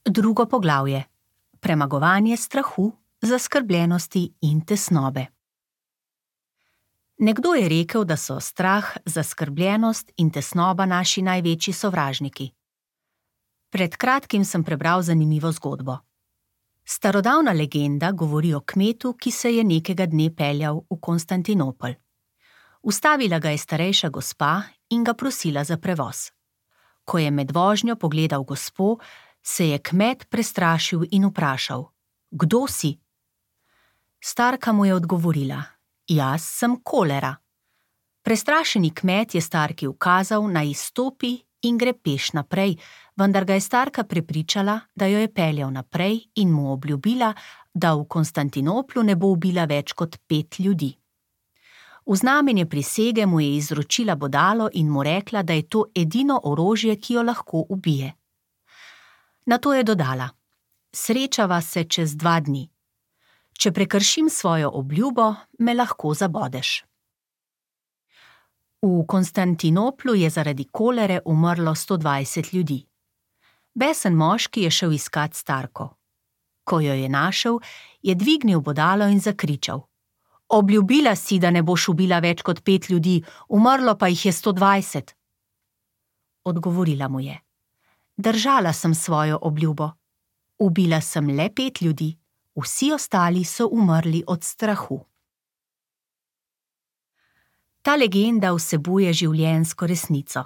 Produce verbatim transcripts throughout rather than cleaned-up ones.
Drugo poglavje. Premagovanje strahu, zaskrbljenosti in tesnobe. Nekdo je rekel, da so strah, zaskrbljenost in tesnoba naši največji sovražniki. Pred kratkim sem prebral zanimivo zgodbo. Starodavna legenda govori o kmetu, ki se je nekega dne peljal v Konstantinopel. Ustavila ga je starejša gospa in ga prosila za prevoz. Ko je med vožnjo pogledal gospo, se je kmet prestrašil in vprašal: "Kdo si?" Starka mu je odgovorila: "Jaz sem kolera." Prestrašeni kmet je starki ukazal, naj izstopi in gre peš naprej, vendar ga je starka prepričala, da jo je peljal naprej in mu obljubila, da v Konstantinoplu ne bo ubila več kot pet ljudi. V znamenje prisege mu je izročila bodalo in mu rekla, da je to edino orožje, ki jo lahko ubije. Nato je dodala: "Srečava se čez dva dni. Če prekršim svojo obljubo, me lahko zabodeš." V Konstantinoplu je zaradi kolere umrlo sto dvajset ljudi. Besen moški je šel iskat starko. Ko jo je našel, je dvignil bodalo in zakričal: "Obljubila si, da ne boš ubila več kot pet ljudi, umrlo pa jih je sto dvajset." Odgovorila mu je: "Držala sem svojo obljubo. Ubila sem le pet ljudi, vsi ostali so umrli od strahu." Ta legenda vsebuje življenjsko resnico.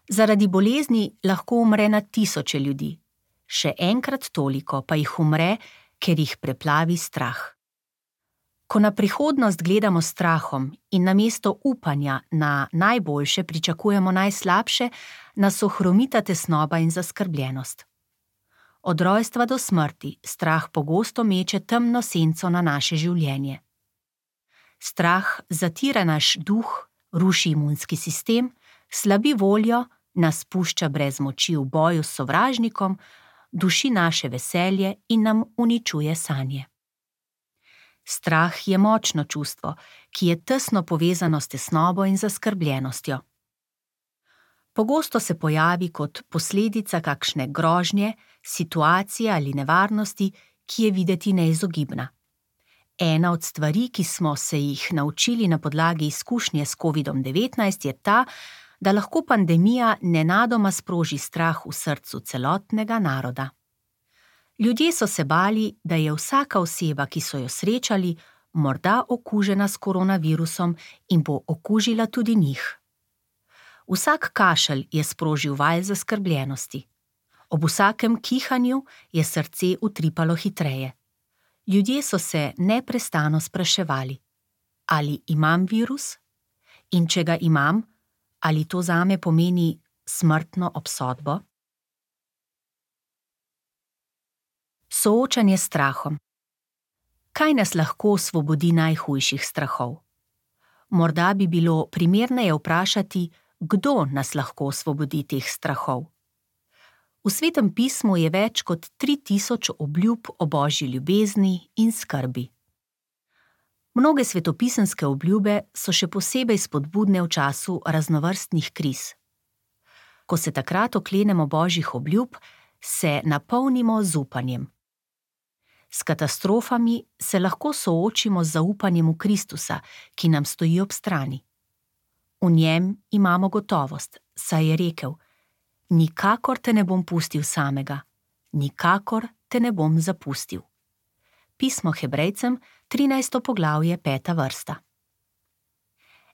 Zaradi bolezni lahko umre na tisoče ljudi, še enkrat toliko pa jih umre, ker jih preplavi strah. Ko na prihodnost gledamo s strahom in namesto upanja na najboljše pričakujemo najslabše, nas ohromita tesnoba in zaskrbljenost. Od rojstva do smrti strah pogosto meče temno senco na naše življenje. Strah zatira naš duh, ruši imunski sistem, slabi voljo, nas pušča brez moči v boju s sovražnikom, duši naše veselje in nam uničuje sanje. Strah je močno čustvo, ki je tesno povezano s tesnobo in zaskrbljenostjo. Pogosto se pojavi kot posledica kakšne grožnje, situacije ali nevarnosti, ki je videti neizogibna. Ena od stvari, ki smo se jih naučili na podlagi izkušnje s kovidom devetnajst, je ta, da lahko pandemija nenadoma sproži strah v srcu celotnega naroda. Ljudje so se bali, da je vsaka oseba, ki so jo srečali, morda okužena s koronavirusom in bo okužila tudi njih. Vsak kašelj je sprožil val zaskrbljenosti. Ob vsakem kihanju je srce utripalo hitreje. Ljudje so se neprestano spraševali: ali imam virus? In če ga imam, ali to zame pomeni smrtno obsodbo? Soočanje s strahom. Kaj nas lahko osvobodi najhujših strahov? Morda bi bilo primerneje vprašati, kdo nas lahko osvobodi teh strahov. V Svetem pismu je več kot tri tisoč obljub o božji ljubezni in skrbi. Mnoge svetopisemske obljube so še posebej spodbudne v času raznovrstnih kriz. Ko se takrat oklenemo božjih obljub, se napolnimo z upanjem. S katastrofami se lahko soočimo z zaupanjem v Kristusa, ki nam stoji ob strani. V njem imamo gotovost, saj je rekel: "Nikakor te ne bom pustil samega, nikakor te ne bom zapustil." Pismo Hebrejcem, trinajsto poglavje, peta vrsta.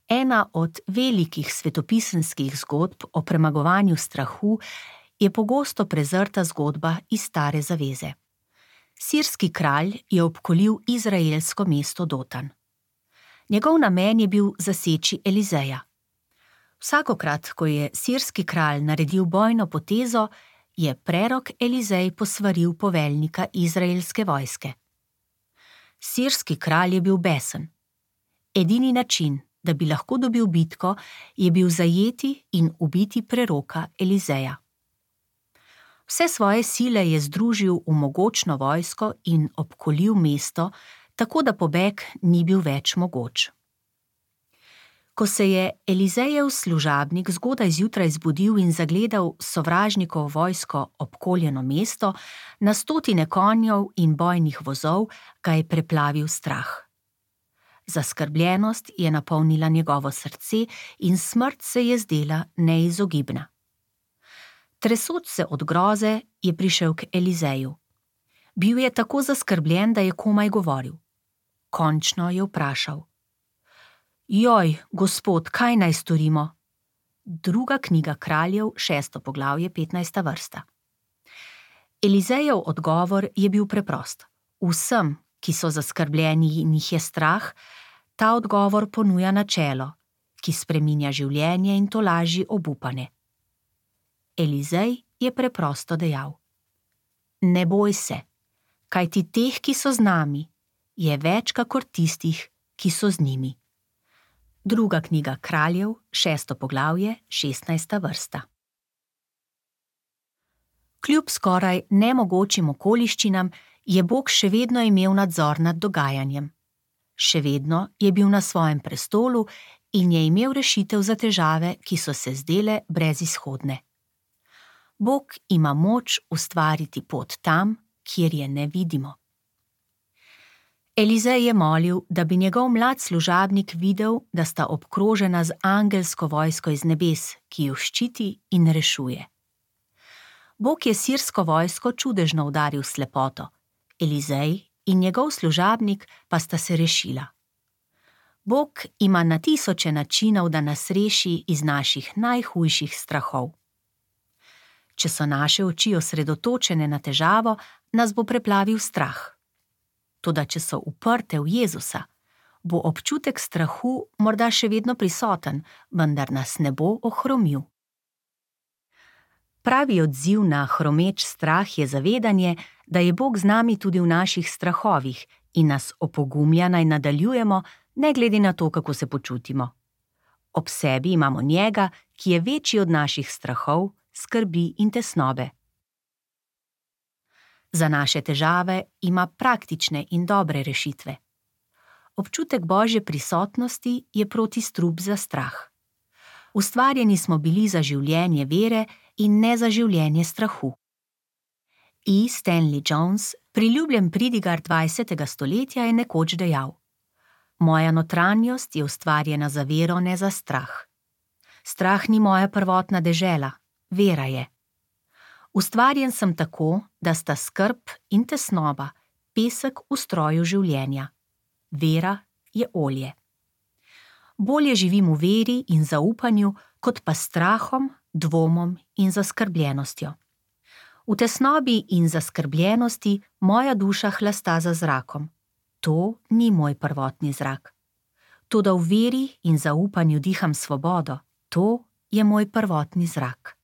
Ena od velikih svetopisemskih zgodb o premagovanju strahu je pogosto prezrta zgodba iz Stare zaveze. Sirski kralj je obkolil izraelsko mesto Dotan. Njegov namen je bil zaseči Elizeja. Vsakokrat, ko je sirski kralj naredil bojno potezo, je prerok Elizej posvaril poveljnika izraelske vojske. Sirski kralj je bil besen. Edini način, da bi lahko dobil bitko, je bil zajeti in ubiti preroka Elizeja. Vse svoje sile je združil v mogočno vojsko in obkolil mesto, tako da pobeg ni bil več mogoč. Ko se je Elizejev služabnik zgodaj zjutraj zbudil in zagledal sovražnikovo vojsko obkoljeno mesto, na stotine konjev in bojnih vozov, ga je preplavil strah. Zaskrbljenost je napolnila njegovo srce in smrt se je zdela neizogibna. Tresoč se od groze je prišel k Elizeju. Bil je tako zaskrbljen, da je komaj govoril. Končno je vprašal: Joj, gospod, kaj naj storimo? Druga knjiga Kraljev, šesto poglavje, petnajsta vrsta. Elizejev odgovor je bil preprost. Vsem, ki so zaskrbljeni in jih je strah, ta odgovor ponuja načelo, ki spreminja življenje in tolaži obupane. Elizej je preprosto dejal: Ne boj se, kajti teh, ki so z nami, je več kakor tistih, ki so z njimi. Druga knjiga Kraljev, šesto poglavje, šestnajsta vrsta. Kljub skoraj nemogočim okoliščinam je Bog še vedno imel nadzor nad dogajanjem. Še vedno je bil na svojem prestolu in je imel rešitev za težave, ki so se zdele brezizhodne. Bog ima moč ustvariti pot tam, kjer je ne vidimo. Elizej je molil, da bi njegov mlad služabnik videl, da sta obkrožena z angelsko vojsko iz nebes, ki jo ščiti in rešuje. Bog je sirsko vojsko čudežno udaril s slepoto, Elizej in njegov služabnik pa sta se rešila. Bog ima na tisoče načinov, da nas reši iz naših najhujših strahov. Če so naše oči osredotočene na težavo, nas bo preplavil strah. Toda če so uprte v Jezusa, bo občutek strahu morda še vedno prisoten, vendar nas ne bo ohromil. Pravi odziv na hromeč strah je zavedanje, da je Bog z nami tudi v naših strahovih in nas opogumlja, naj nadaljujemo, ne glede na to, kako se počutimo. Ob sebi imamo njega, ki je večji od naših strahov, skrbi in tesnobe. Za naše težave ima praktične in dobre rešitve. Občutek Božje prisotnosti je protistrup za strah. Ustvarjeni smo bili za življenje vere in ne za življenje strahu. E. Stanley Jones, priljubljen pridigar dvajsetega stoletja, je nekoč dejal: Moja notranjost je ustvarjena za vero, ne za strah. Strah ni moja prvotna dežela, vera je. Ustvarjen sem tako, da sta skrb in tesnoba pesek v stroju življenja. Vera je olje. Bolje živim v veri in zaupanju, kot pa strahom, dvomom in zaskrbljenostjo. V tesnobi in zaskrbljenosti moja duša hlasta za zrakom. To ni moj prvotni zrak. Toda v veri in zaupanju diham svobodo. To je moj prvotni zrak.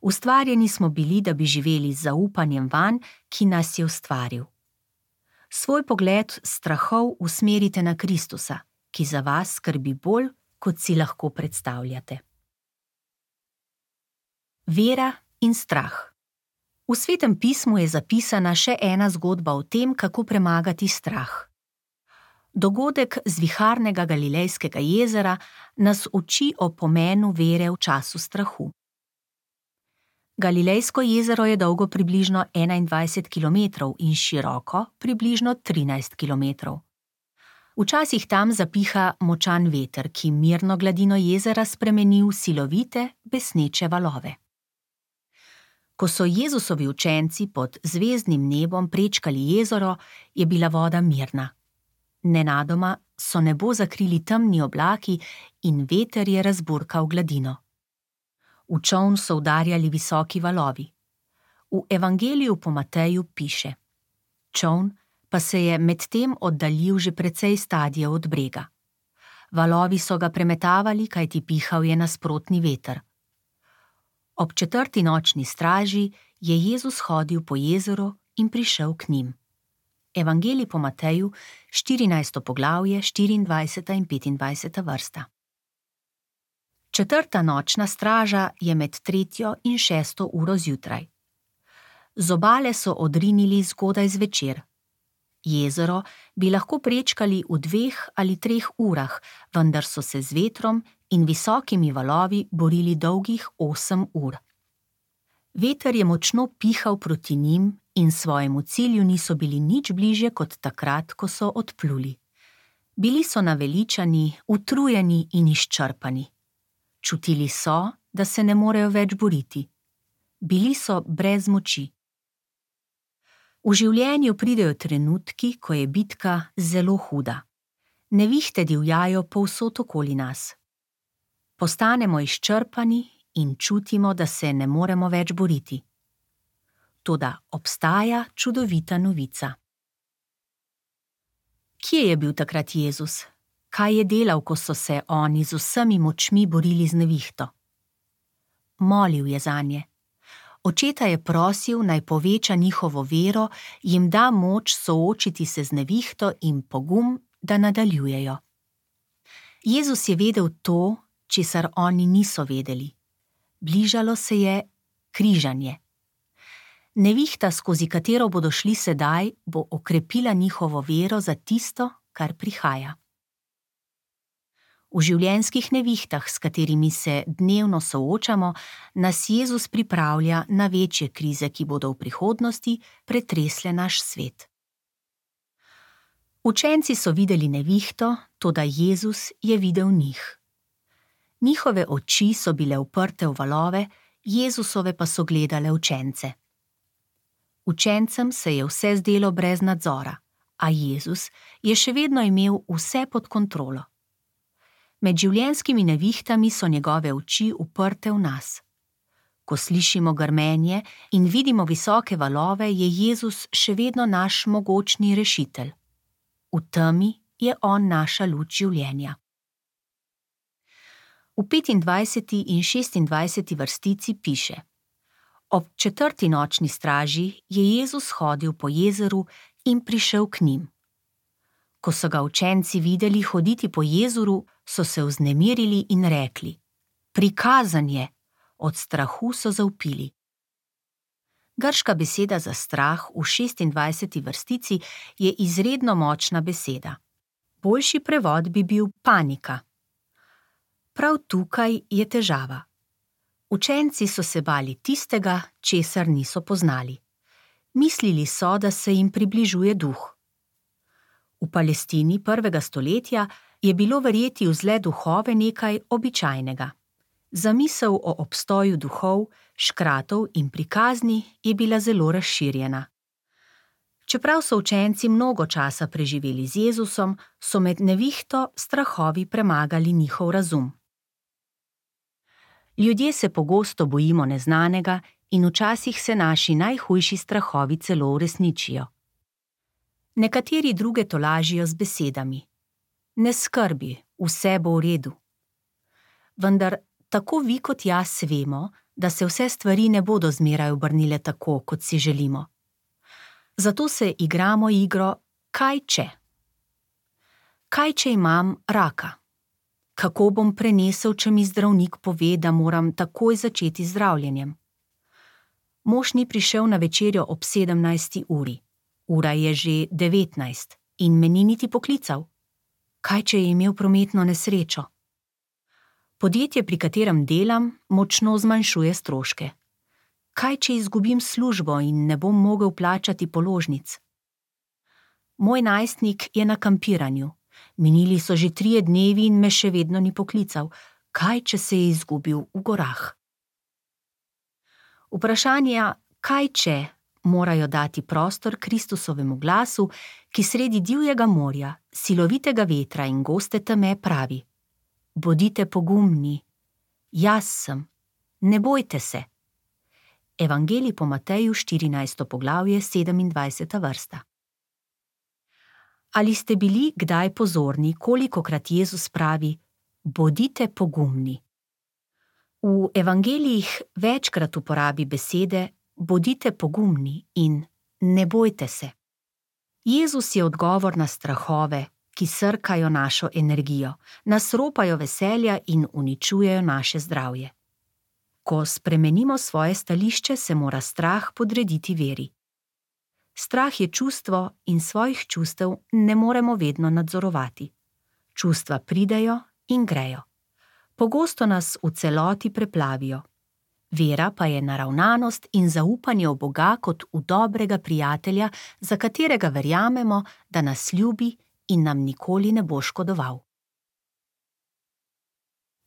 Ustvarjeni smo bili, da bi živeli z zaupanjem vanj, ki nas je ustvaril. Svoj pogled strahov usmerite na Kristusa, ki za vas skrbi bolj, kot si lahko predstavljate. Vera in strah. V Svetem pismu je zapisana še ena zgodba o tem, kako premagati strah. Dogodek z viharnega Galilejskega jezera nas uči o pomenu vere v času strahu. Galilejsko jezero je dolgo približno enaindvajset kilometrov in široko približno trinajst kilometrov. Včasih tam zapiha močan veter, ki mirno gladino jezera spremeni v silovite, besneče valove. Ko so Jezusovi učenci pod zvezdnim nebom prečkali jezero, je bila voda mirna. Nenadoma so nebo zakrili temni oblaki in veter je razburkal gladino. V čoln so udarjali visoki valovi. V Evangeliju po Mateju piše: Čoln pa se je medtem oddaljil že precej stadijev od brega. Valovi so ga premetavali, kajti pihal je nasprotni veter. Ob četrti nočni straži je Jezus hodil po jezeru in prišel k njim. Evangelij po Mateju, štirinajsto poglavje, štiriindvajseta in petindvajseta vrsta. Četrta nočna straža je med tretjo in šesto uro zjutraj. Z obale so odrinili zgodaj zvečer. Jezero bi lahko prečkali v dveh ali treh urah, vendar so se z vetrom in visokimi valovi borili dolgih osem ur. Veter je močno pihal proti njim in svojemu cilju niso bili nič bližje kot takrat, ko so odpluli. Bili so naveličani, utrujeni in izčrpani. Čutili so, da se ne morejo več boriti. Bili so brez moči. V življenju pridejo trenutki, ko je bitka zelo huda. Nevihte divjajo povsod okoli nas. Postanemo izčrpani in čutimo, da se ne moremo več boriti. Toda obstaja čudovita novica. Kje je bil takrat Jezus? Kaj je delal, ko so se oni z vsemi močmi borili z nevihto? Molil je zanje. Očeta je prosil, naj poveča njihovo vero, jim da moč soočiti se z nevihto in pogum, da nadaljujejo. Jezus je vedel to, česar oni niso vedeli. Bližalo se je križanje. Nevihta, skozi katero bodo šli sedaj, bo okrepila njihovo vero za tisto, kar prihaja. V življenjskih nevihtah, s katerimi se dnevno soočamo, nas Jezus pripravlja na večje krize, ki bodo v prihodnosti pretresle naš svet. Učenci so videli nevihto, toda Jezus je videl njih. Njihove oči so bile uprte v valove, Jezusove pa so gledale učence. Učencem se je vse zdelo brez nadzora, a Jezus je še vedno imel vse pod kontrolo. Med življenjskimi nevihtami so njegove oči uprte v nas. Ko slišimo grmenje in vidimo visoke valove, je Jezus še vedno naš mogočni rešitelj. V temi je on naša luč življenja. V petindvajseti in šestindvajseti vrstici piše: Ob četrti nočni straži je Jezus hodil po jezeru in prišel k njim. Ko so ga učenci videli hoditi po jezeru, so se vznemirili in rekli: Prikazan je, od strahu so zavpili. Grška beseda za strah v šestindvajseti vrstici je izredno močna beseda. Boljši prevod bi bil panika. Prav tukaj je težava. Učenci so se bali tistega, česar niso poznali. Mislili so, da se jim približuje duh. V Palestini prvega stoletja je bilo verjeti v zle duhove nekaj običajnega. Zamisel o obstoju duhov, škratov in prikazni je bila zelo razširjena. Čeprav so učenci mnogo časa preživeli z Jezusom, so med nevihto strahovi premagali njihov razum. Ljudje se pogosto bojimo neznanega in včasih se naši najhujši strahovi celo uresničijo. Nekateri druge tolažijo z besedami: Ne skrbi, vse bo v redu. Vendar tako vi kot jaz vemo, da se vse stvari ne bodo zmeraj obrnile tako, kot si želimo. Zato se igramo igro kaj če. Kaj če imam raka? Kako bom prenesel, če mi zdravnik pove, da moram takoj začeti z zdravljenjem? Mož ni prišel na večerjo ob sedemnajsti uri. Ura je že devetnajst in me ni niti poklical. Kaj če je imel prometno nesrečo? Podjetje, pri katerem delam, močno zmanjšuje stroške. Kaj če izgubim službo in ne bom mogel plačati položnic? Moj najstnik je na kampiranju. Minili so že trije dnevi in me še vedno ni poklical. Kaj če se je izgubil v gorah? Vprašanja kaj če morajo dati prostor Kristusovemu glasu, ki sredi divjega morja, silovitega vetra in goste teme pravi: Bodite pogumni, jaz sem, ne bojte se. Evangelij po Mateju, štirinajsto poglavje, sedemindvajseta vrsta. Ali ste bili kdaj pozorni, kolikokrat Jezus pravi: Bodite pogumni? V evangelijih večkrat uporabi besede bodite pogumni in ne bojte se. Jezus je odgovor na strahove, ki srkajo našo energijo, nas ropajo veselja in uničujejo naše zdravje. Ko spremenimo svoje stališče, se mora strah podrediti veri. Strah je čustvo in svojih čustev ne moremo vedno nadzorovati. Čustva pridejo in grejo. Pogosto nas v celoti preplavijo. Vera pa je naravnanost in zaupanje v Boga kot v dobrega prijatelja, za katerega verjamemo, da nas ljubi in nam nikoli ne bo škodoval.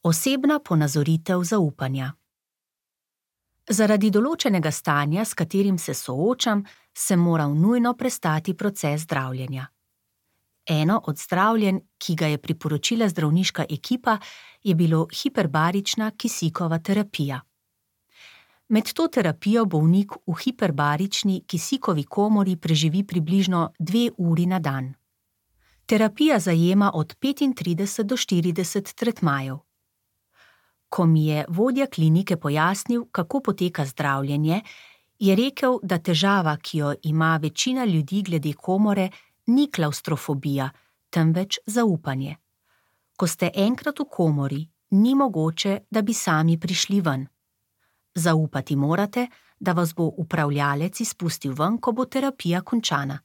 Osebna ponazoritev zaupanja. Zaradi določenega stanja, s katerim se soočam, sem moral nujno prestati proces zdravljenja. Eno od zdravljenj, ki ga je priporočila zdravniška ekipa, je bilo hiperbarična kisikova terapija. Med to terapijo bolnik v hiperbarični kisikovi komori preživi približno dve uri na dan. Terapija zajema od petintrideset do štirideset tretmajev. Ko mi je vodja klinike pojasnil, kako poteka zdravljenje, je rekel, da težava, ki jo ima večina ljudi glede komore, ni klavstrofobija, temveč zaupanje. Ko ste enkrat v komori, ni mogoče, da bi sami prišli ven. Zaupati morate, da vas bo upravljalec izpustil ven, ko bo terapija končana.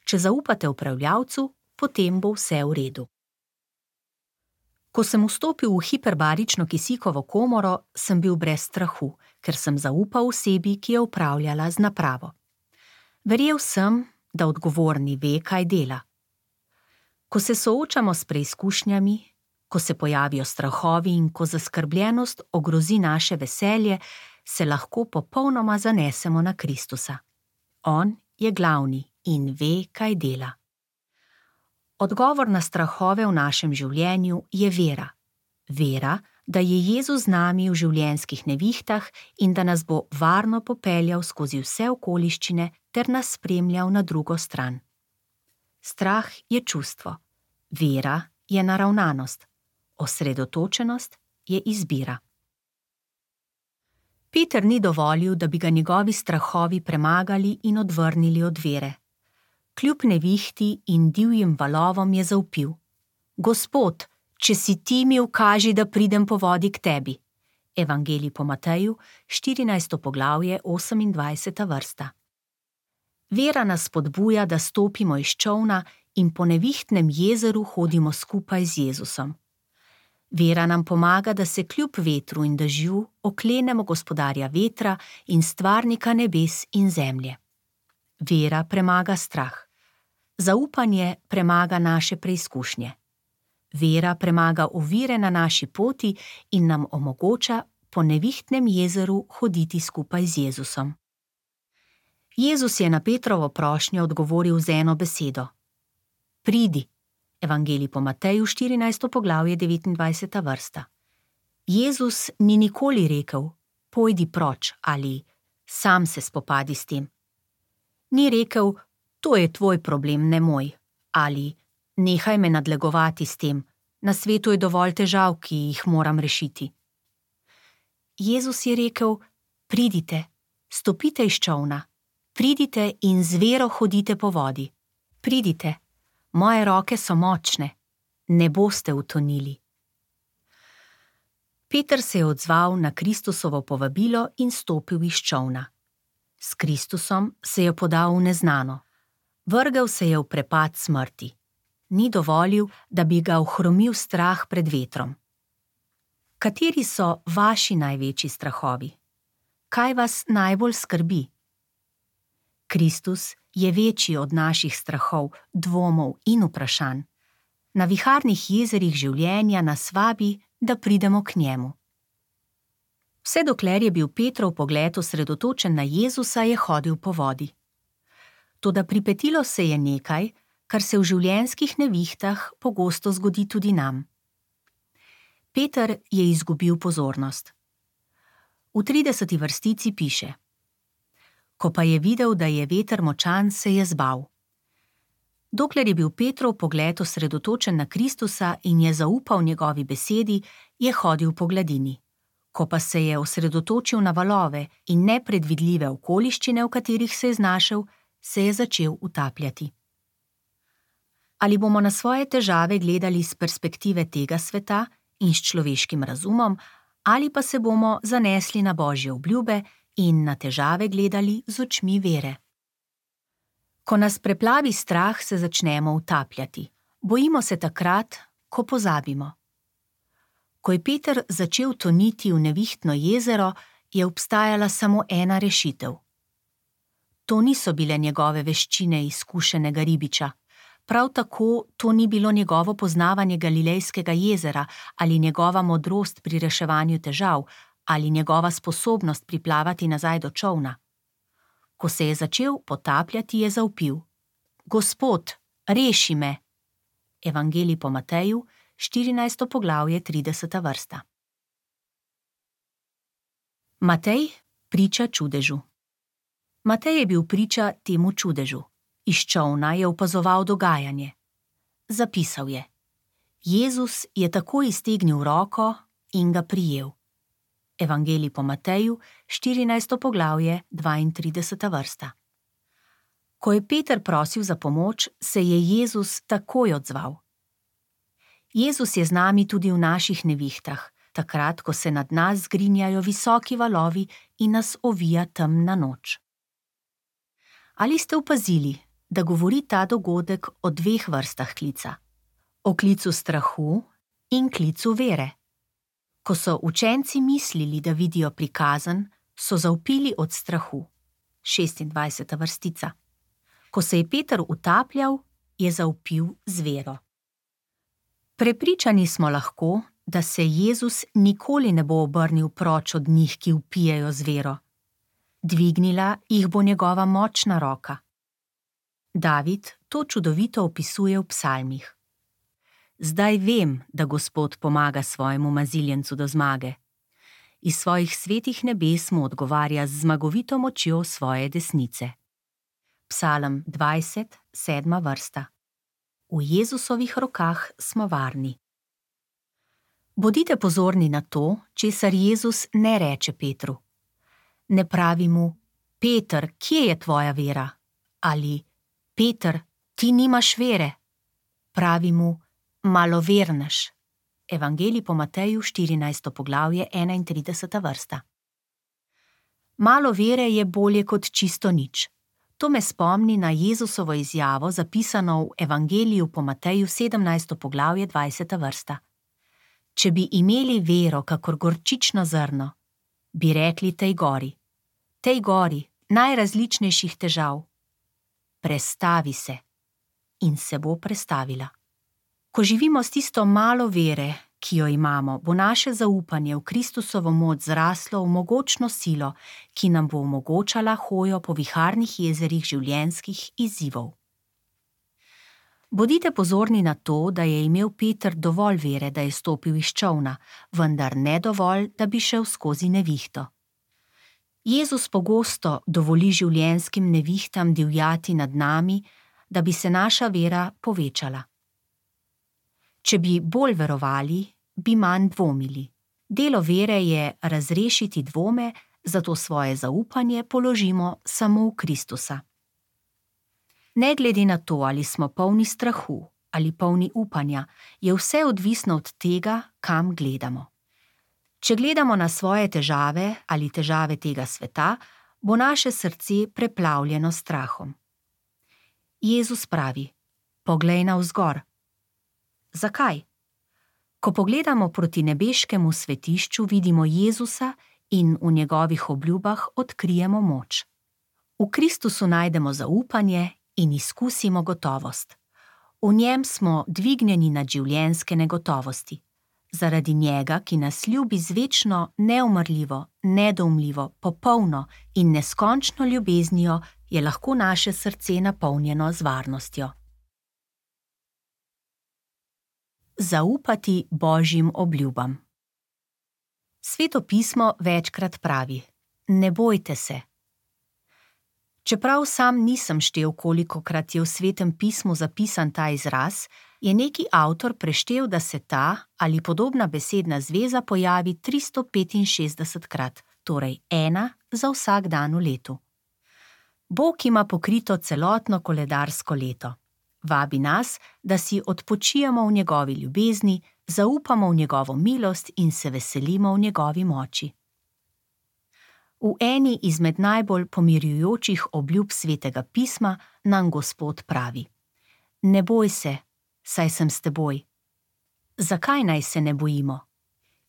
Če zaupate upravljalcu, potem bo vse v redu. Ko sem vstopil v hiperbarično kisikovo komoro, sem bil brez strahu, ker sem zaupal osebi, ki je upravljala z napravo. Verjel sem, da odgovorni ve, kaj dela. Ko se soočamo s preizkušnjami, ko se pojavijo strahovi in ko zaskrbljenost ogrozi naše veselje, se lahko popolnoma zanesemo na Kristusa. On je glavni in ve, kaj dela. Odgovor na strahove v našem življenju je vera. Vera, da je Jezus z nami v življenjskih nevihtah in da nas bo varno popeljal skozi vse okoliščine ter nas spremljal na drugo stran. Strah je čustvo. Vera je naravnanost. Osredotočenost je izbira. Peter ni dovolil, da bi ga njegovi strahovi premagali in odvrnili od vere. Kljub nevihti in divjim valovom je zavpil: Gospod, če si ti, mi ukaži, da pridem po vodi k tebi. Evangelij po Mateju, štirinajsto poglavje, osemindvajseta vrsta. Vera nas spodbuja, da stopimo iz čolna in po nevihtnem jezeru hodimo skupaj z Jezusom. Vera nam pomaga, da se kljub vetru in dežju oklenemo Gospodarja vetra in Stvarnika nebes in zemlje. Vera premaga strah. Zaupanje premaga naše preizkušnje. Vera premaga ovire na naši poti in nam omogoča po nevihtnem jezeru hoditi skupaj z Jezusom. Jezus je na Petrovo prošnjo odgovoril z eno besedo: Pridi. Evangelij po Mateju, štirinajsto poglavje, devetindvajseta vrsta. Jezus ni nikoli rekel: Pojdi proč ali sam se spopadi s tem. Ni rekel: To je tvoj problem, ne moj, ali nehaj me nadlegovati s tem, na svetu je dovolj težav, ki jih moram rešiti. Jezus je rekel: Pridite, stopite iz čolna, pridite in z vero hodite po vodi. Pridite, moje roke so močne, ne boste utonili. Peter se je odzval na Kristusovo povabilo in stopil iz čolna. S Kristusom se je podal v neznano. Vrgel se je v prepad smrti. Ni dovolil, da bi ga ohromil strah pred vetrom. Kateri so vaši največji strahovi? Kaj vas najbolj skrbi? Kristus je večji od naših strahov, dvomov in vprašanj. Na viharnih jezerih življenja nas vabi, da pridemo k njemu. Vse dokler je bil Petrov pogled osredotočen na Jezusa, je hodil po vodi. Toda pripetilo se je nekaj, kar se v življenjskih nevihtah pogosto zgodi tudi nam. Peter je izgubil pozornost. V trideseti vrstici piše: Ko pa je videl, da je veter močan, se je zbal. Dokler je bil Petrov pogled osredotočen na Kristusa in je zaupal njegovi besedi, je hodil po gladini. Ko pa se je osredotočil na valove in nepredvidljive okoliščine, v katerih se je znašel, se je začel utapljati. Ali bomo na svoje težave gledali z perspektive tega sveta in s človeškim razumom, ali pa se bomo zanesli na Božje obljube in na težave gledali z očmi vere. Ko nas preplavi strah, se začnemo utapljati. Bojimo se takrat, ko pozabimo. Ko je Peter začel toniti v nevihtno jezero, je obstajala samo ena rešitev. To niso bile njegove veščine izkušenega ribiča. Prav tako to ni bilo njegovo poznavanje Galilejskega jezera ali njegova modrost pri reševanju težav ali njegova sposobnost priplavati nazaj do čolna. Ko se je začel potapljati, je zavpil: Gospod, reši me! Evangelij po Mateju, štirinajsto poglavje, trideseta vrsta. Matej priča čudežu. Matej je bil priča temu čudežu. Iz čolna je opazoval dogajanje. Zapisal je: Jezus je takoj iztegnil roko in ga prijel. Evangelij po Mateju, štirinajsto poglavje, dvaintrideseta vrsta. Ko je Peter prosil za pomoč, se je Jezus takoj odzval. Jezus je z nami tudi v naših nevihtah, takrat, ko se nad nas zgrinjajo visoki valovi in nas ovija temna noč. Ali ste opazili, da govori ta dogodek o dveh vrstah klica? O klicu strahu in klicu vere. Ko so učenci mislili, da vidijo prikazan, so zavpili od strahu. šestindvajseta vrstica. Ko se je Peter utapljal, je zavpil z vero. Prepričani smo lahko, da se Jezus nikoli ne bo obrnil proč od njih, ki vpijejo z vero. Dvignila jih bo njegova močna roka. David to čudovito opisuje v psalmih. Zdaj vem, da Gospod pomaga svojemu maziljencu do zmage. Iz svojih svetih nebes mu odgovarja z zmagovito močjo svoje desnice. Psalm dvajset, sedma vrsta. V Jezusovih rokah smo varni. Bodite pozorni na to, česar Jezus ne reče Petru. Ne pravi mu: Peter, kje je tvoja vera? Ali: Peter, ti nimaš vere. Pravi mu: malovernež. Evangelij po Mateju, štirinajsto poglavje, enaintrideseta vrsta. Malo vere je bolje kot čisto nič. To me spomni na Jezusovo izjavo, zapisano v Evangeliju po Mateju, sedemnajsto poglavje, dvajseta vrsta. Če bi imeli vero, kakor gorčično zrno, bi rekli tej gori, tej gori najrazličnejših težav: prestavi se, in se bo prestavila. Ko živimo s tisto malo vere, ki jo imamo, bo naše zaupanje v Kristusovo moč zraslo v mogočno silo, ki nam bo omogočala hojo po viharnih jezerih življenjskih izzivov. Bodite pozorni na to, da je imel Peter dovolj vere, da je stopil iz čolna, vendar ne dovolj, da bi šel skozi nevihto. Jezus pogosto dovoli življenjskim nevihtam divjati nad nami, da bi se naša vera povečala. Če bi bolj verovali, bi manj dvomili. Delo vere je razrešiti dvome, zato svoje zaupanje položimo samo v Kristusa. Ne glede na to, ali smo polni strahu ali polni upanja, je vse odvisno od tega, kam gledamo. Če gledamo na svoje težave ali težave tega sveta, bo naše srce preplavljeno s strahom. Jezus pravi: poglej navzgor. Zakaj? Ko pogledamo proti nebeškemu svetišču, vidimo Jezusa in v njegovih obljubah odkrijemo moč. V Kristusu najdemo zaupanje in izkusimo gotovost. V njem smo dvignjeni nad življenjske negotovosti. Zaradi njega, ki nas ljubi z večno, neumrljivo, nedoumljivo, popolno in neskončno ljubeznijo, je lahko naše srce napolnjeno z varnostjo. Zaupati Božjim obljubam. Sveto pismo večkrat pravi: ne bojte se. Čeprav sam nisem štel, kolikokrat je v Svetem pismu zapisan ta izraz, je neki avtor preštel, da se ta ali podobna besedna zveza pojavi tristo petinšestdesetkrat, torej ena za vsak dan v letu. Bog ima pokrito celotno koledarsko leto. Vabi nas, da si odpočijemo v njegovi ljubezni, zaupamo v njegovo milost in se veselimo v njegovi moči. V eni izmed najbolj pomirjujočih obljub Svetega pisma nam Gospod pravi: Ne boj se, saj sem s teboj. Zakaj naj se ne bojimo?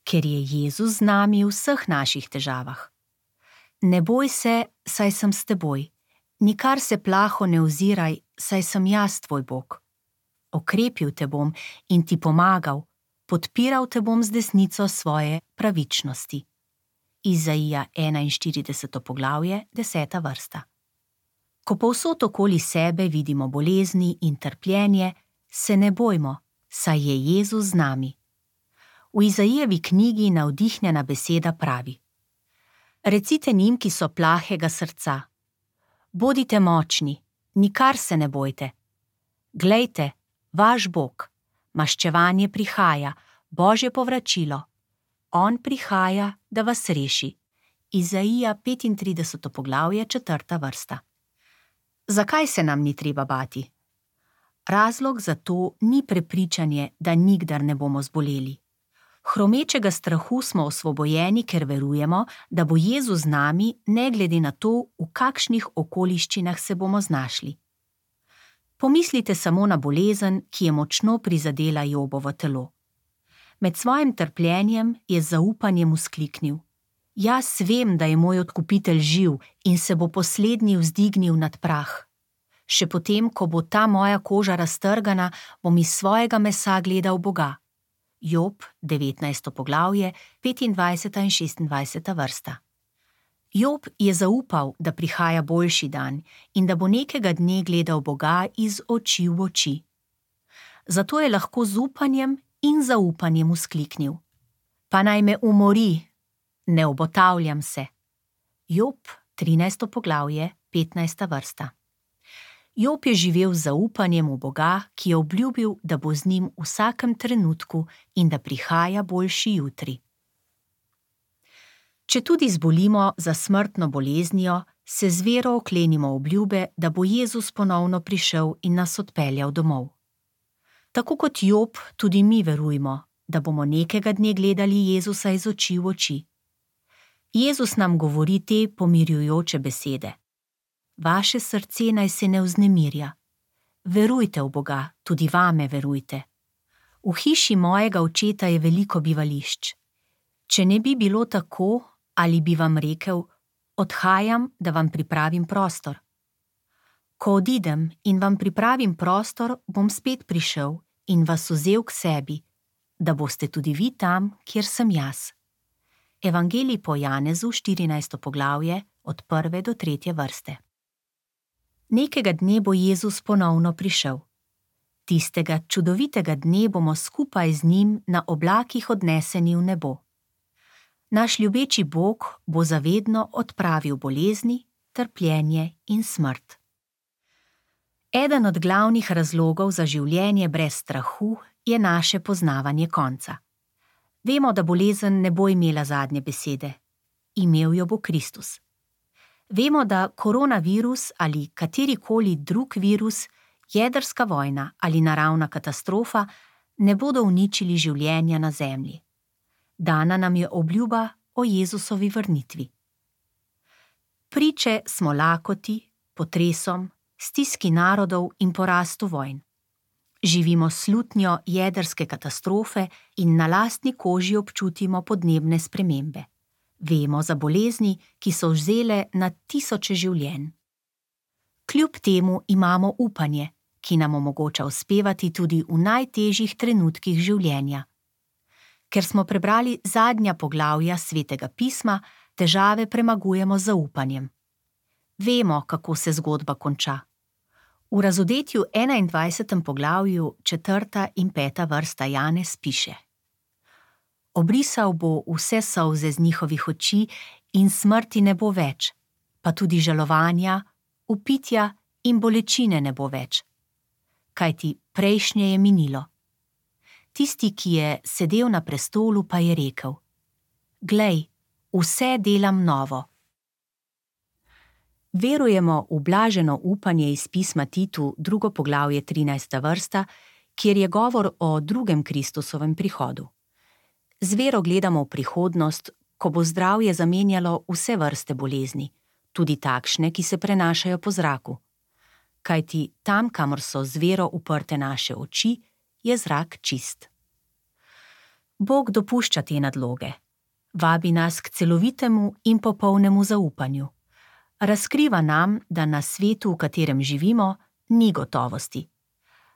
Ker je Jezus z nami v vseh naših težavah. Ne boj se, saj sem s teboj. Nikar se plaho ne oziraj, saj sem jaz tvoj Bog. Okrepil te bom in ti pomagal, podpiral te bom z desnico svoje pravičnosti. Izaija enainštirideseto poglavje, deseta vrsta. Ko povsod okoli sebe vidimo bolezni in trpljenje, se ne bojmo, saj je Jezus z nami. V Izaijevi knjigi navdihnjena beseda pravi: Recite njim, ki so plahega srca: Bodite močni, nikar se ne bojte. Glejte, vaš Bog, maščevanje prihaja, Božje povračilo. On prihaja, da vas reši. Izaija petintrideseto poglavje, četrta vrsta. Zakaj se nam ni treba bati? Razlog za to ni prepričanje, da nikdar ne bomo zboleli. Hromečega strahu smo osvobojeni, ker verujemo, da bo Jezus z nami, ne glede na to, v kakšnih okoliščinah se bomo znašli. Pomislite samo na bolezen, ki je močno prizadela Jobovo telo. Med svojim trpljenjem je z zaupanjem vzkliknil: Jaz vem, da je moj odkupitelj živ in se bo poslednji vzdignil nad prah. Še potem, ko bo ta moja koža raztrgana, bom iz svojega mesa gledal Boga. Job, devetnajsto poglavje, petindvajseta in šestindvajseta vrsta. Job je zaupal, da prihaja boljši dan in da bo nekega dne gledal Boga iz oči v oči. Zato je lahko z upanjem in zaupanjem vzkliknil: Pa naj me umori, ne obotavljam se. Job, trinajsto poglavje, petnajsta vrsta. Job je živel z zaupanjem v Boga, ki je obljubil, da bo z njim v vsakem trenutku in da prihaja boljši jutri. Če tudi zbolimo za smrtno boleznijo, se z vero oklenimo obljube, da bo Jezus ponovno prišel in nas odpeljal domov. Tako kot Job, tudi mi verujemo, da bomo nekega dne gledali Jezusa iz oči v oči. Jezus nam govori te pomirjujoče besede: Vaše srce naj se ne vznemirja. Verujte v Boga, tudi vame verujte. V hiši mojega očeta je veliko bivališč. Če ne bi bilo tako, ali bi vam rekel: Odhajam, da vam pripravim prostor. Ko odidem in vam pripravim prostor, bom spet prišel in vas vzel k sebi, da boste tudi vi tam, kjer sem jaz. Evangelij po Janezu, štirinajsto poglavje, od prve do tretje vrste. Nekega dne bo Jezus ponovno prišel. Tistega čudovitega dne bomo skupaj z njim na oblakih odneseni v nebo. Naš ljubeči Bog bo zavedno odpravil bolezni, trpljenje in smrt. Eden od glavnih razlogov za življenje brez strahu je naše poznavanje konca. Vemo, da bolezen ne bo imela zadnje besede. Imel jo bo Kristus. Vemo, da koronavirus ali katerikoli drug virus, jedrska vojna ali naravna katastrofa ne bodo uničili življenja na zemlji. Dana nam je obljuba o Jezusovi vrnitvi. Priče smo lakoti, potresom, stiski narodov in porastu vojn. Živimo slutnjo jedrske katastrofe in na lastni koži občutimo podnebne spremembe. Vemo za bolezni, ki so vzele na tisoče življenj. Kljub temu imamo upanje, ki nam omogoča uspevati tudi v najtežjih trenutkih življenja. Ker smo prebrali zadnja poglavja Svetega pisma, težave premagujemo z zaupanjem. Vemo, kako se zgodba konča. V razodetju enaindvajsetem poglavju četrta in peta vrsta Janez piše: Obrisal bo vse solze z njihovih oči in smrti ne bo več, pa tudi žalovanja, vpitja in bolečine ne bo več. Kajti prejšnje je minilo. Tisti, ki je sedel na prestolu, pa je rekel: Glej, vse delam novo. Verujemo v blaženo upanje iz pisma Titu, drugo poglavje, trinajsta vrsta, kjer je govor o drugem Kristusovem prihodu. Z vero gledamo v prihodnost, ko bo zdravje zamenjalo vse vrste bolezni, tudi takšne, ki se prenašajo po zraku. Kajti tam, kamor so z vero uprte naše oči, je zrak čist. Bog dopušča te nadloge. Vabi nas k celovitemu in popolnemu zaupanju. Razkriva nam, da na svetu, v katerem živimo, ni gotovosti.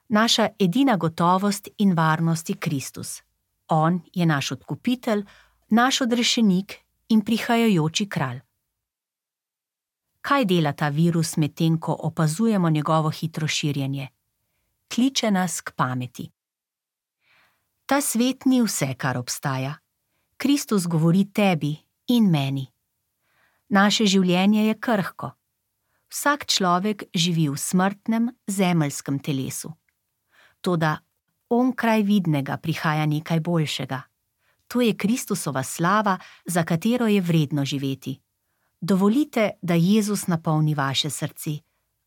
Naša edina gotovost in varnost je Kristus. On je naš odkupitelj, naš odrešenik in prihajajoči kralj. Kaj dela ta virus medtem, ko opazujemo njegovo hitro širjenje? Kliče nas k pameti. Ta svet ni vse, kar obstaja. Kristus govori tebi in meni. Naše življenje je krhko. Vsak človek živi v smrtnem, zemeljskem telesu. Toda onkraj vidnega prihaja nekaj boljšega. To je Kristusova slava, za katero je vredno živeti. Dovolite, da Jezus napolni vaše srce,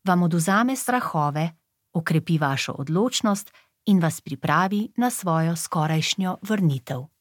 vam odvzame strahove, okrepi vašo odločnost in vas pripravi na svojo skorajšnjo vrnitev.